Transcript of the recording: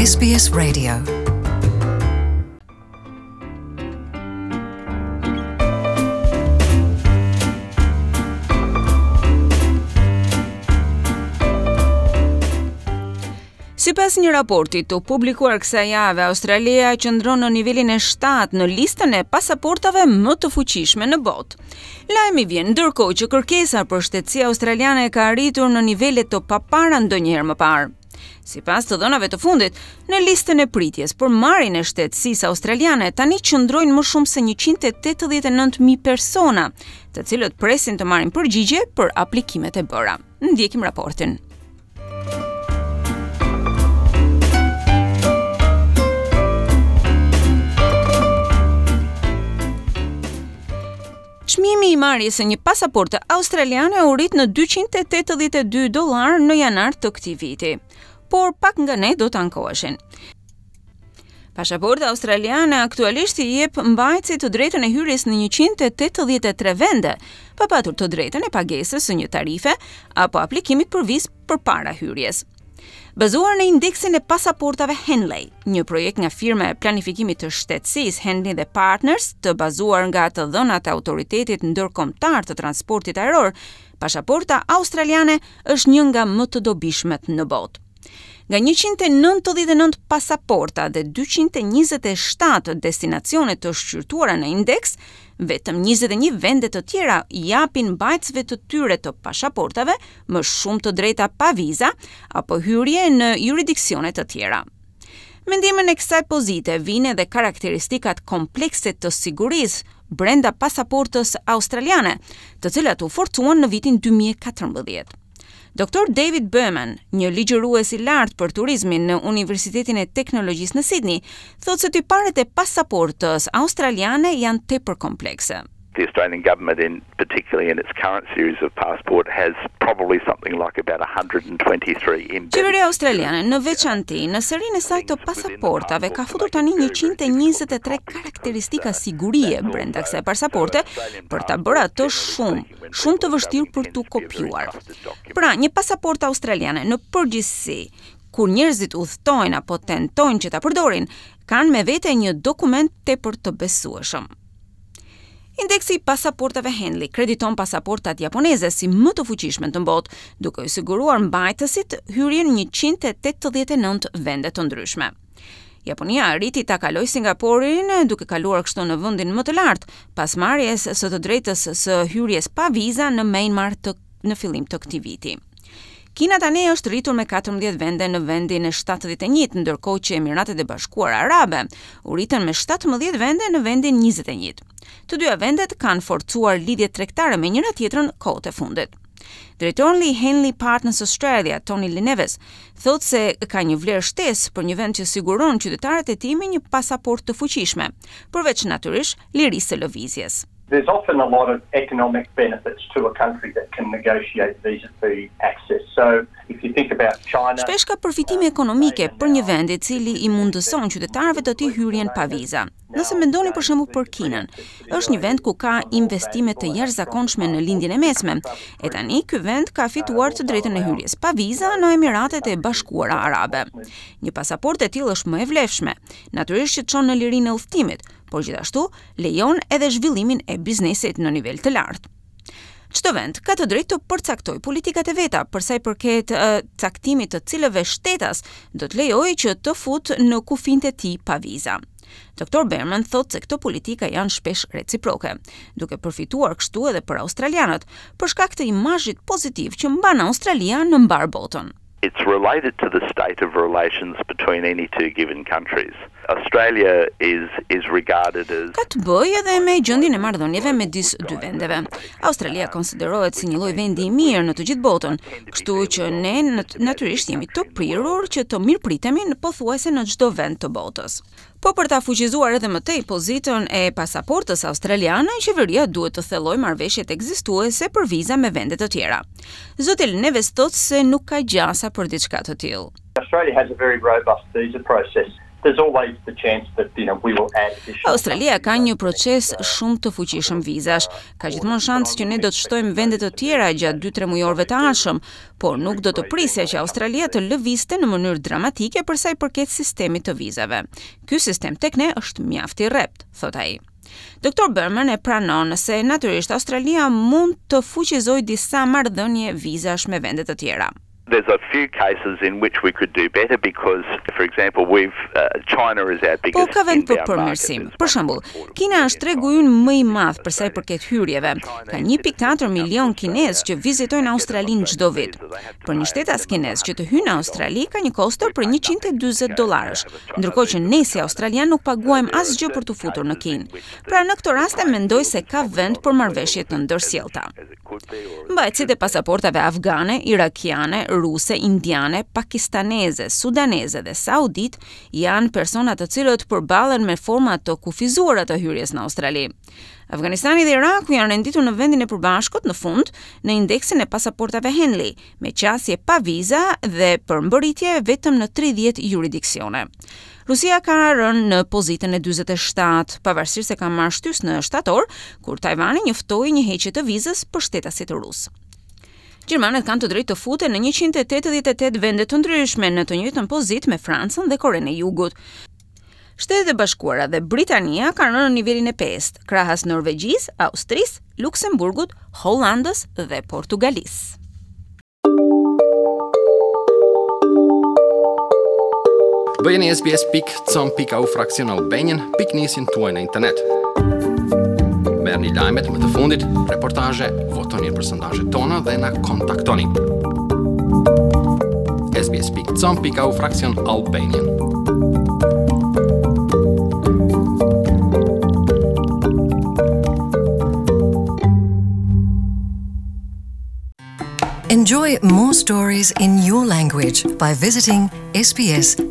SBS Radio. Sipas një raporti të publikuar kësaj jave, Australia qëndron në nivelin e 7 në listën e pasaportave më të fuqishme në botë. Lajmi vjen ndërkohë që kërkesa për shtetësi australiane ka arritur në nivele të papara ndonjëherë më parë. Sipas të dhënave të fundit, në listën e pritjes për marrjen e shtetësisë australiane tani qëndrojnë më shumë se 189.000 persona, të cilët presin të marrin përgjigje për aplikimet e bëra. Ndjekim raportin. Çmimi i marrjes së një pasaporte australiane u rrit në 282 dollarë në janar të këtij viti. Por pak nga ne do të ankoheshin. Pasaporta australiane aktualisht i jep mbajtësit të drejtën e hyrjes në 183 vende, pa patur të drejtën e pagesës së një tarife apo aplikimit për vizë përpara hyrjes. Bazuar në indeksin e pasaportave Henley, një projekt nga firma e planifikimit të shtetësisë Henley dhe Partners, të bazuar nga të dhënat e Autoritetit Ndërkombëtar të Transportit Ajror, pasaporta australiane është një nga më të dobishmet në botë. Nga 199 pasaporta dhe 227 destinacione të shqyrtuara në indeks, vetëm 21 vende të tjera japin mbajtësve të tyre të pasaportave më shumë të drejta pa viza apo hyrje në juridiksione të tjera. Me ndihmën e kësaj pozite vijnë edhe karakteristikat komplekse të sigurisë brenda pasaportës australiane, të cilat u forcuan në vitin 2014. Dr. David Berman, një ligjërues i lartë për turizmin në Universitetin e Teknologjisë në Sydney, thotë se tiparet e pasaportës australiane janë tepër komplekse. The Australian government in particularly in its current series of passport has probably something like about 123 embedded. Qeveria australiane në veçanti në serinë e saj të pasaportave ka futur tani 123 karakteristika sigurie brenda kësaj pasaporte për ta bërë atë shumë, shumë të vështirë për t'u kopjuar. Pra, një pasaportë australiane në përgjithësi kur njerëzit udhëtojnë apo tentojnë që ta përdorin, kanë me vete një dokument tepër të besueshëm. Indeksi i pasaportave Henley krediton pasaportat japoneze si më të fuqishme në botë, duke u siguruar mbajtësit hyrjen në 189 vende të ndryshme. Japonia arriti ta kalojë Singaporin, duke kaluar kështu në vendin më të lartë, pas marrjes së të drejtës së hyrjes pa viza në Myanmar të në fillim të këtij viti. Kina tani është rritur me 14 vende në vendin e 71, ndërkohë që Emiratet e Bashkuara Arabe u rritën me 17 vende në vendin 21. Të dyja vendet kanë forcuar lidhjet tregtare me njëra tjetrën kohët e fundit. Drejtori i Henley Partners Australia, Tony Le Neves, thotë se ka një vlerë shtesë për një vend që siguron qytetarët e tij me një pasaportë të fuqishme, përveç natyrisht lirisë së lëvizjes. There's often a lot of economic benefits to a country that can negotiate visa-free access. So if you think about China, Shpesh ka përfitime ekonomike për një vend i cili i mundëson qytetarëve të tij hyrjen pa viza. Nëse mendoni për shembull për Kinën, është një vend ku ka investime të jashtëzakonshme në Lindjen e Mesme. E tani ky vend ka fituar të drejtën e hyrjes pa viza në Emiratet e Bashkuara Arabe. Një pasaportë e tillë është më e vlefshme, natyrisht që çon në lirinë e udhëtimit, por gjithashtu lejon edhe zhvillimin e biznesit në nivel të lartë. Çdo vend ka të drejtë të përcaktojë politikat e veta për sa i përket uh, caktimit të cilëve shtetas do të lejojë që të fut në kufinjtë e tij pa viza. Dr. Berman thotë se këto politika janë shpesh reciproke, duke përfituar kështu edhe për australianët, për shkak të imazhit pozitiv që mban Australia në mbarë botën. It's related to the state of relations between any two given countries. Australia is is regarded as Ka të bëjë edhe me gjendjen e marrëdhënieve midis dy vendeve. Australia konsiderohet si një lloj vendi i mirë në të gjithë botën, kështu që ne natyrisht jemi të prirur që të mirëpritemi në pothuajse në çdo vend të botës. Po për ta fuqizuar edhe më tej pozitën e pasaportës australiane, qeveria duhet të thellojë marrëveshjet ekzistuese për viza me vende të tjera. Zoti Neves thotë se nuk ka gjasa për diçka të tillë. Australia has a very robust visa process. There's always the chance that you know we will add additional Australia ka një proces shumë të fuqishëm vizash. Ka gjithmonë shans që ne do të shtojmë vende të tjera gjatë 2-3 mujorëve të ardhshëm, por nuk do të prisja që Australia të lëvizte në mënyrë dramatike për sa i përket sistemit të vizave. Ky sistem tek ne është mjaft i rreptë, thotë ai. Doktor Berman e pranon se natyrisht Australia mund të fuqizojë disa marrëdhënie vizash me vende të tjera. There's a few cases in which we could do better because for example we've uh, China is our biggest Po ka vend për përmirësim. Për shembull, Kina është tregu ynë më i madh për sa i përket hyrjeve. Ka 1.4 milion kinezë që vizitojnë Australinë çdo vit. Për një shtetas kinez që të hyjë në Australi ka një kosto prej 140 dollarësh, ndërkohë që ne si australianë nuk paguajmë asgjë për t'u futur në Kinë. Pra në këto raste mendoj se ka vend për marrëveshje të ndërsjellta. Mbajtësit e pasaportave afgane, irakiane, ruse, indiane, pakistaneze, sudaneze dhe saudite janë persona të cilët përballen me forma të kufizuara të hyrjes në Australi. Afganistani dhe Iraku janë renditur në vendin e përbashkët në fund në indeksin e pasaportave Henley, me qasje pa viza dhe për mbërritje vetëm në 30 juridiksione. Rusia ka rënë në pozitën e 47, pavarësisht se ka marrë shtysë në shtator, kur Tajvani njoftoi një heqje të vizës për shtetasit rusë. Gjermanët kanë të drejtë të futen në 188 vende të ndryshme në të njëjtën pozitë me Francën dhe Korenë e Jugut. Shtetet e Bashkuara dhe Britania kanë rënë në nivelin e pestë, krahas Norvegjisë, Austrisë, Luksemburgut, Hollandës dhe Portugalisë. Bëjeni sbs.com.au fraksion Albanian pikënisjen tuaj në internet. Merrni lajmet më të fundit, reportazhe, votoni për sondazhet tona dhe na kontaktoni. sbs.com.au fraksion Albanian. Enjoy more stories in your language by visiting sbs.com.au.